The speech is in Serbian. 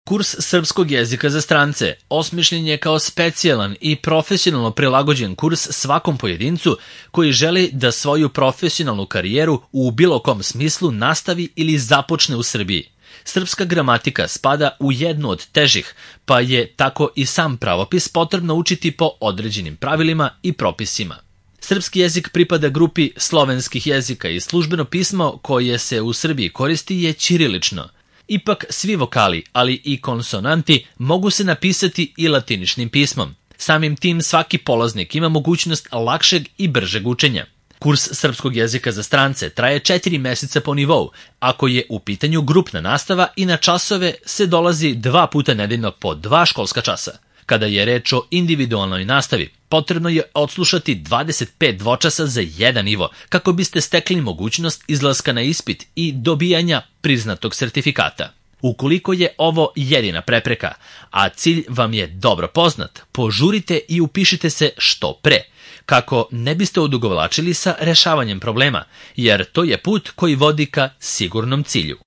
Kurs srpskog jezika za strance osmišljen je kao specijalan i profesionalno prilagođen kurs svakom pojedincu koji želi da svoju profesionalnu karijeru u bilo kom smislu nastavi ili započne u Srbiji. Srpska gramatika spada u jednu od težih, pa je tako i sam pravopis potrebno učiti po određenim pravilima i propisima. Srpski jezik pripada grupi slovenskih jezika i službeno pismo koje se u Srbiji koristi je ćirilično. Ipak svi vokali, ali i konsonanti mogu se napisati i latiničnim pismom. Samim tim svaki polaznik ima mogućnost lakšeg i bržeg učenja. Kurs srpskog jezika za strance traje 4 meseca po nivou, ako je u pitanju grupna nastava i na časove se dolazi 2 puta nedeljno po 2 školska časa. Kada je reč o individualnoj nastavi, potrebno je odslušati 25 dvočasa za jedan nivo, kako biste stekli mogućnost izlaska na ispit i dobijanja priznatog sertifikata. Ukoliko je ovo jedina prepreka, a cilj vam je dobro poznat, požurite i upišite se što pre, kako ne biste odugovlačili sa rešavanjem problema, jer to je put koji vodi ka sigurnom cilju.